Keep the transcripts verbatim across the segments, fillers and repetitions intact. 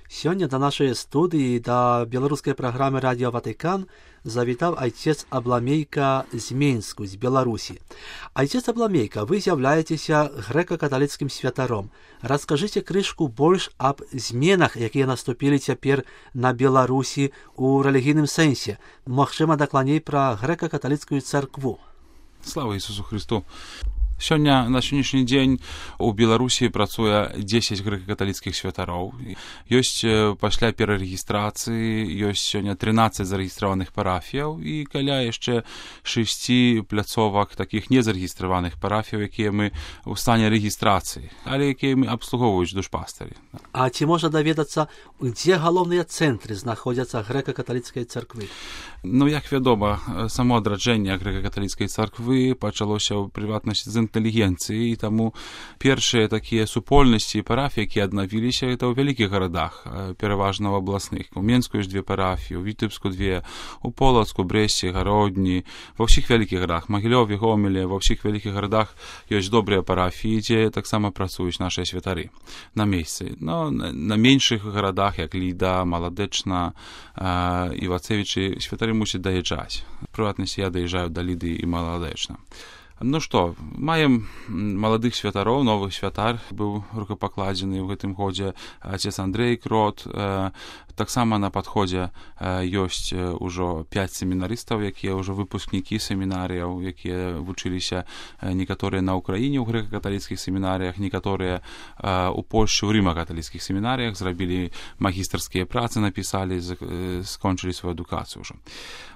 Сёння да нашай студыі, да беларускай праграмы «Радио Ватыкан» завітаў айцец Абламейка з Менску, з Беларусі. Айцец Абламейка, вы з'яўляецеся грэка-каталіцкім святаром. Раскажыце крышку больш аб зменах, якія наступілі цяпер на Беларусі ў рэлігійным сэнсе. Магчыма, дакладней пра грэка-каталіцкую царкву. Слава Ісусу Христу! Сёння, на сённяшні дзень у Беларусі працуе дзесяць грэка-каталіцкіх святароў. Ёсць пасля перарэгістрацыі, ёсць сёння трынаццаць зарэгістраваных парафіяў і каля яшчэ шэсці пляцовак такіх незарэгістраваных парафіяў, якія мы ў стане рэгістрацыі, але якія мы абслугоўваюць душпастары. А ці можна даведацца, дзе галоўныя цэнтры знаходзяцца грэка-каталіцкай царквы? Ну, як вядома, само адраджэнне грэка-каталіцкай царквы пачалося ў прыватнасці з інтэлігенцыі, і таму першыя такія супольнасці і парафіі, якія аднавіліся, гэта ў вялікіх гарадах, пераважна ў абласных. У Менску ёсць две парафіі, у Вітэбску две, у Полацку, Брэсце, Гародні, ва ўсіх вялікіх гарадах, Магілёве, Гомеле, ва ўсіх вялікіх гарадах ёсць добрыя парафіі, дзе таксама працуюць нашыя святары на месцы. Но на меншых гарадах, як Ліда, Маладэчна, Івацевічы, святары мусяць даязджаць. У прыватнасці я даязджаю да Ліды і Маладэчна. Ну што, маем маладых святароў, новы святар быў рукапакладзены ў гэтым годзе, отец Андрей Крот. Таксама на падходзе ёсць ужо пяць семінарыстаў, якія ўжо выпускнікі семінарыяў, якія вучыліся некаторыя на Ўкраіне ў грэка-каталіцкіх семінарыях, некаторыя ў Польшчы ў рыма-каталіцкіх семінарыях, зрабілі магістарскія працы, напісалі, скончылі сваю адукацыю ўжо.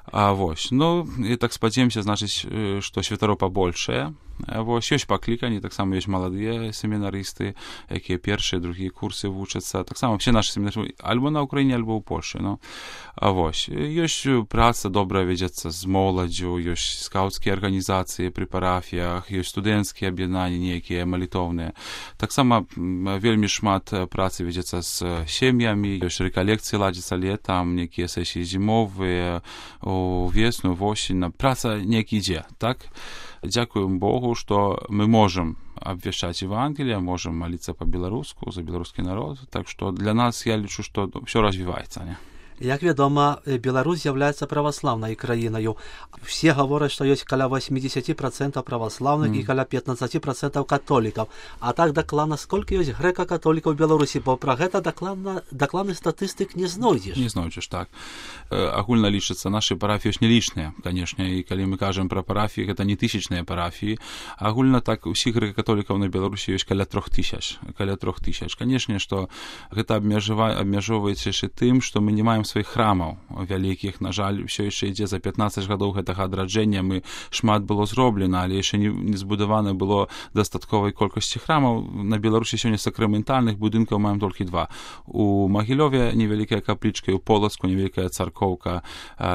А вось, ну, і так спадзеемся, значыць, што святароў пабольшае. Вось, ёсць пакліканні, таксама ёсць маладыя семінарысты, якія першыя, другія курсы вучацца. Таксама все нашы семінары альбо на Ўкраіне, альбо ў Польшчы. Ну. А вось, ёсць праца добрая вядзецца з моладдзю, ёсць скаўцкія арганізацыі пры парафіях, ёсць студэнцкія аб'яднанні нейкія малітоўныя. Таксама вельмі шмат працы вядзецца з сем'ямі, ёсць рэкалекцыі ладзяцца летам, нейкія сесіі зімовыя, у весну, восень. Праца нейкі ідзе, так? Дзякуем Богу, што мы можам абвяшчаць Евангелие, можам маліцца па-беларуску, за беларускі народ. Так што для нас, я лічу, што ўсё развіваецца, не? Як вядома, Беларусь з'яўляецца праваслаўнай краінаю. Все гавораць, што ёсць каля восемьдесят процентов праваслаўных mm. і каля пятнадцать процентов католікаў. А так дакладна, сколькі ёсць грэка-католікаў у Беларусі, бо пра гэта дакладна, дакладны статыстык не знойдзеш. Не знойдзеш, так. Э, агульна лічыцца, нашы парафіі ёсць не лічныя, канешне, і калі мы кажам пра парафіі, гэта не тысячныя парафіі. Агульна так, усіх грэка-католікаў на Беларусі ёсць каля трох тысяч. Каля трох тысяч. Канешне, што гэта абмяжоўваецца яшчэ тым, што мы не маем сваіх храмаў вялікіх. На жаль, ўсё яшчэ ідзе за пятнаццаць гадоў гэтага адраджэння. Мы шмат было зроблена, але яшчэ не, не збудавана было дастатковай колькасці храмаў. На Беларусі сёння сакраментальных будынкаў маем толькі два. У Магілёве невялікая каплічка, і ў Полацку невялікая царкоўка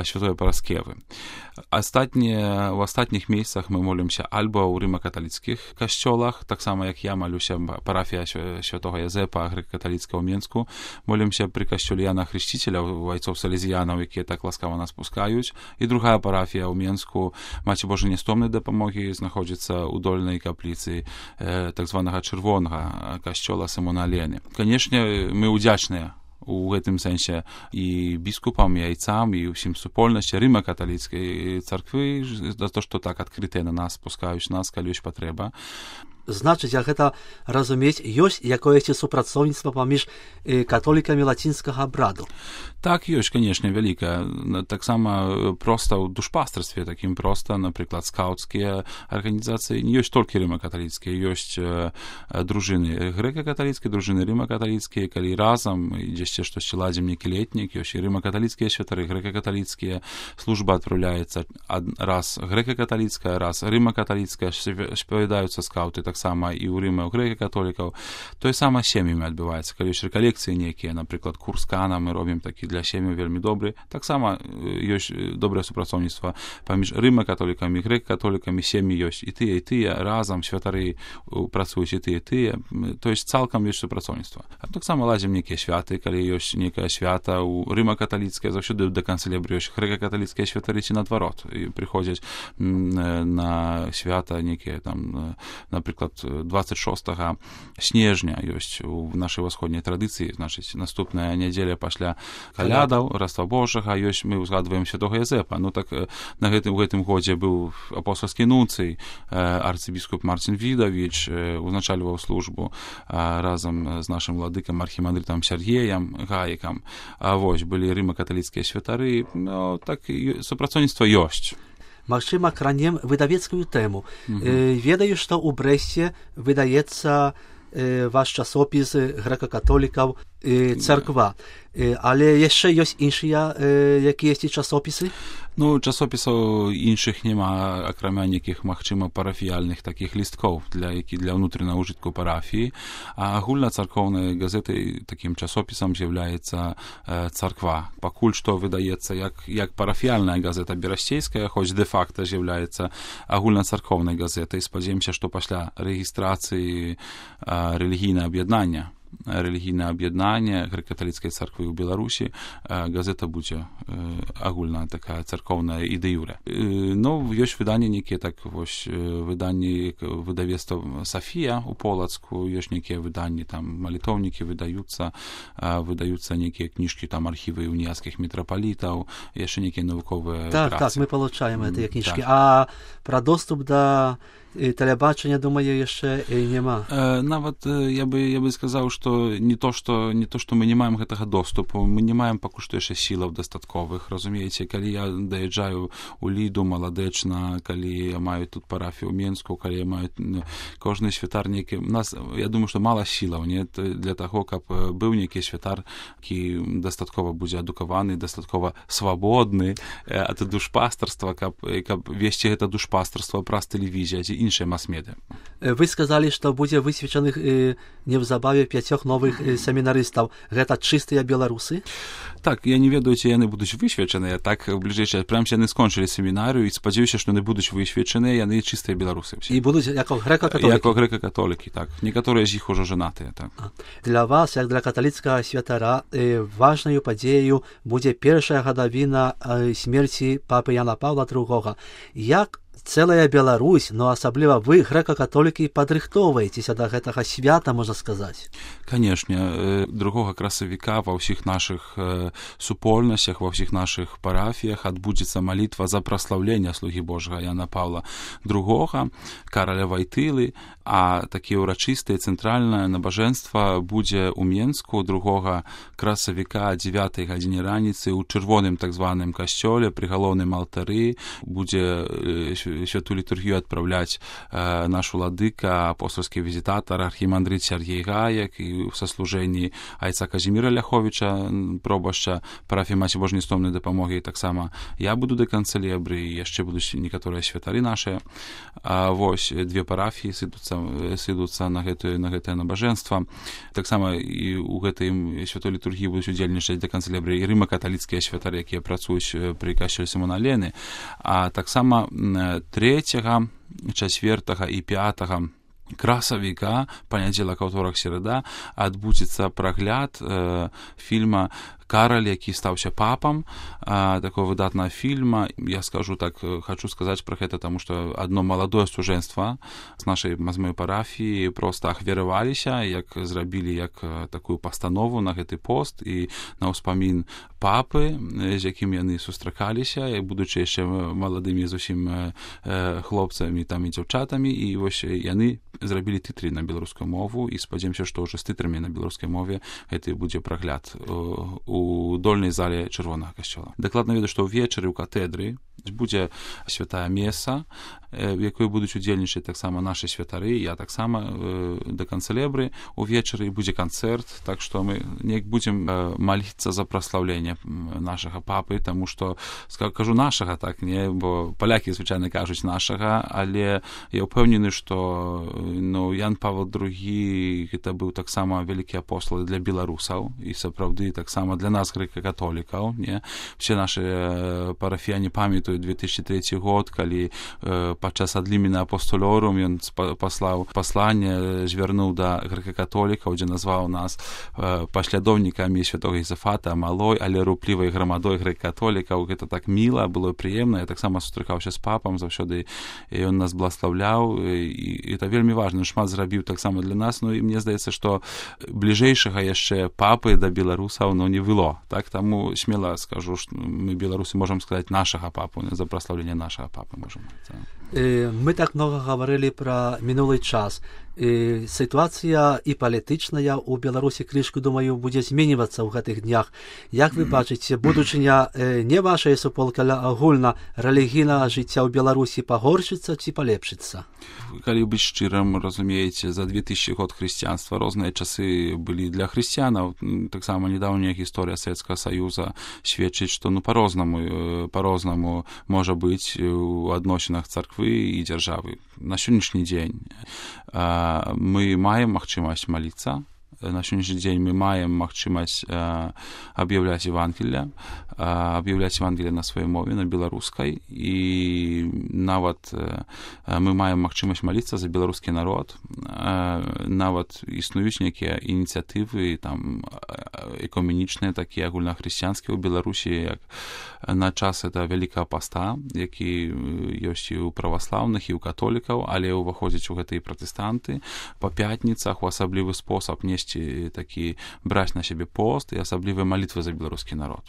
Святой Параскевы. Астатнія, у астатніх месцах мы молімся альбо ў рыма-каталіцкіх касцёлах, таксама як я малюся, парафія Святога Язэпа грэка-каталіцкага ў Менску, молімся пры касцёле Яна Хрысціцеля, айцоў салезіянаў, якія так ласкава нас пускаюць. І другая парафія ў Менску, Маці Божай Нястомнай дапамогі, знаходзіцца ў дольнай капліцы э, так званага чырвонага касцёла Сымона Алены. Канешне, мы удзячныя у гэтым сэнсе і біскупам, і айцам, і ўсім супольнасці рыма-каталіцкай царквы за то, што так адкрытыя на нас пускаюць нас, калі ёсць патрэба. Значыць, як гэта разумець, ёсць якоеся супрацоўніцтва паміж католікамі лацінскага абраду? Так, ёсць, канешне, вялікая. Таксама проста ў душпастарстве такім проста, напрыклад, скаўцкія арганізацыі, не ёсць толькі рыма-каталіцкія, ёсць дружыны грэка-каталіцкія, дружыны рыма-каталіцкія, калі разам дзесьці штосьці ладзім нейкі летнік, ёсць і рыма-каталіцкія святары, грэка-каталіцкія, служба адпраўляецца раз грэка-каталіцкая, раз рыма-каталіцкая, спавядаюцца скаўты, так таксама і ў Рыме, ў грэка-католікаў. Тое сама сем'ямі адбываецца. Калі ёсць рэкалекцыі нейкія, напрыклад, курс Кана мы робім такі для сем'яў вельмі добры. Таксама ёсць добрае супрацоўніцтва паміж рыма-католікамі, грэка-католікамі, сем'і ёсць і тыя, і тыя, разам святары працуюць і тыя, і тыя. То есть цалкам ёсць супрацоўніцтва. А таксама лазім нейкія святы, калі ёсць нейкае свята ў рыма-каталіцкае, заўсёды да канцэлябры ёсць грэка-каталіцкія святары ці наадварот. І прыходзяць на свята нейкія там, напрыклад, напрыклад двадцать шостага снежня ёсць у нашай ўсходняй традыцыі, значыць наступная нядзеля пасля калядаў Раства Божага ёсць, мы ўзгадваем святога Язэпа. Ну так на гэтым у гэтым годзе быў апостольскі нунцый арцыбіскуп Марцін Відавіч, узначальваў службу разам з нашым владыкам архімандрытам Сергеем Гаікам. А вось былі рыма-каталіцкія святары, ну так супрацоўніцтва ёсць. Магчыма, кранем выдавецкую тэму. Mm-hmm. Э, ведаю, што ў Брэсце выдаецца э, ваш часопіс грэка-католікаў э, царква. Э, але яшчэ ёсць іншыя э, якія ёсць часопісы? Ну, часопісаў іншых няма, акрамя нейкіх, магчыма, парафіяльных такіх лісткоў для, які, для ўнутранага ўжытку парафіі. А агульнацаркоўнай газетай такім часопісам з'яўляецца э, царква. Пакуль што выдаецца як, як парафіяльная газета берасцейская, хоць дэ-факта з'яўляецца агульнацаркоўнай газетай. Спадзяемся, што пасля рэгістрацыі э, рэлігійнае аб'яднання рэлігійнае аб'яднанне грэка-каталіцкай царквы ў Беларусі газета будзе агульная такая царкоўная і дэ-юрэ. Ну, ёсць выданні нейкія, так вось выданні выдавецтва Сафія ў Полацку, ёсць нейкія выданні, там малітоўнікі выдаюцца, выдаюцца нейкія кніжкі, там архівы уніяцкіх мітрапалітаў, яшчэ нейкія навуковыя так, працы. Так, мы получаем mm, гэтыя кніжкі. Так. А пра доступ да тэлебачання, думаю, яшчэ няма. Э, нават я бы я бы сказаў, што не то што не то што мы не маем гэтага доступу, мы не маем пакуль што яшчэ сілаў дастатковых, разумееце, калі я даязджаю у Ліду маладэчна, калі я маю тут парафію ў Менску, калі я маю ну, кожны святар нейкі, у нас я думаю, што мала сілаў, не для таго, каб быў нейкі святар, які дастаткова будзе адукаваны, дастаткова свабодны ад душпастарства, каб каб весці гэта душпастарства праз тэлевізію ці іншыя мас-медыа. Вы сказалі, што будзе высвечаных э, неўзабаве пяцёх новых э, семінарыстаў. Гэта чыстыя беларусы? Так, я не ведаю, ці яны будуць высвечаныя, так бліжэйшыя, прям яны скончылі семінарыю і спадзяюся, што яны будуць высвечаныя, яны чыстыя беларусы. І будуць як грэка-католікі? Як грэка-католікі, так. Некаторыя з іх ужо жанатыя, так. Для вас, як для каталіцкага святара, э, важнаю падзеяю будзе першая гадавіна э, смерці папы Яна Паўла другога. Як цэлая Беларусь, но асабліва вы, грэка-католікі, падрыхтоўваецеся да гэтага свята, можна сказаць? Канешне, другога красавіка ва ўсіх нашых супольнасцях, ва ўсіх нашых парафіях адбудзецца малітва за праслаўленне слугі Божага Яна Паўла другога, караля Вайтылы, а такі ўрачыстае цэнтральнае набажэнства будзе ў Менску другога красавіка о дзевятай гадзіне раніцы ў чырвоным так званым касцёле пры галоўным алтары будзе святую літургію адпраўляць э, наш уладыка, апостольскі візітатар, архімандрыт Сергей Гаек і ў саслужэнні айца Казіміра Ляховіча, пробашча парафіі Маці Божай Нестомнай дапамогі, таксама я буду да канцэлебры, і яшчэ будуць некаторыя святары нашыя. А вось две парафіі сыдуцца сыдуцца на гэтае на гэтае набажэнства. Таксама і ў гэтай святой літургіі будуць удзельнічаць да канцэлебры і рыма-каталіцкія святары, якія працуюць пры касцёле Сімона Лены, а таксама трэцяга, чацвёртага і пятага красавіка, панядзелак, аўторак, серада, адбудзецца прагляд э, фільма «Караль, які стаўся папам», а, такого выдатнага фільма. Я скажу так, хочу сказаць пра гэта, таму што адно маладое студэнцтва з нашай мазмой парафіі проста ахвяраваліся, як зрабілі як такую пастанову на гэты пост і на ўспамін папы, з якім яны сустракаліся, будучы яшчэ маладымі зусім э, хлопцамі там і дзяўчатамі, і вось яны зрабілі тытры на беларускую мову, і спадзяемся, што ўжо з тытрамі на беларускай мове гэты будзе прагляд у дольнай зале чырвонага касцёла. Дакладна ведаю, што ўвечары ў катэдры будзе святая меса, в якой будуць удзельнічаць таксама нашы святары, я таксама э, да канцэлебры увечары, будзе канцэрт, так што мы неяк будзем э, маліцца за праслаўленне нашага папы, таму што кажу нашага, так, не, бо палякі звычайна кажуць нашага, але я ўпэўнены, што ну, Ян Павел другі гэта быў таксама вялікі апостол для беларусаў і сапраўды таксама для нас грэка-католікаў, не, все нашы парафіяне памятаюць две тысячи третий год, калі падчас адліміна апостолорум ён паслаў пасланне, звярнуў да грэка-католікаў, дзе назваў нас паслядоўнікамі святога Ізафата, малой, але руплівай грамадой грэка-католікаў. Гэта так міла, было прыемна. Я таксама сустракаўся з папам, заўсёды ён нас бласлаўляў, і это вельмі важна, шмат зрабіў таксама для нас. Ну і мне здаецца, што бліжэйшага яшчэ папы да беларусаў, ну, не было. Так, таму смела скажу, што мы, беларусы, можам сказаць нашага папу, за праслаўленне нашага папы можам. Так. Мы так много говорили про минулый час. І ситуація і палітична у Білорусі крышку, думаю, буде змінюватися в гэтых днях. Як ви бачите, будучыня не вашої суполки, але агульна релігійного життя у Білорусі погоршиться чи полепшиться? Калі быць шчырым, разумееце, за две тысячи год хрысціянства розныя часы былі для хрысціянаў. Таксама недаўняя гісторыя Савецкага Саюза сведчыць, што ну па-рознаму, па-рознаму можа быць у адносінах царквы і дзяржавы. На сённяшні дзень мы маем магчымасць маліцца. На сённяшні дзень мы маем магчымасць аб'яўляць Евангелие, аб'яўляць Евангелие на сваёй мове, на беларускай, і нават мы маем магчымасць маліцца за беларускі народ. Нават існуюць нейкія ініцыятывы там экуменічныя, такія агульнахрысціянскія ў Беларусі, як на час это Вялікага паста, які ёсць і ў праваслаўных, і ў католікаў, але ўваходзяць у гэта і пратэстанты. Па пятніцах у асаблівы спосаб несці такі браць на сябе пост і асаблівыя малітвы за беларускі народ.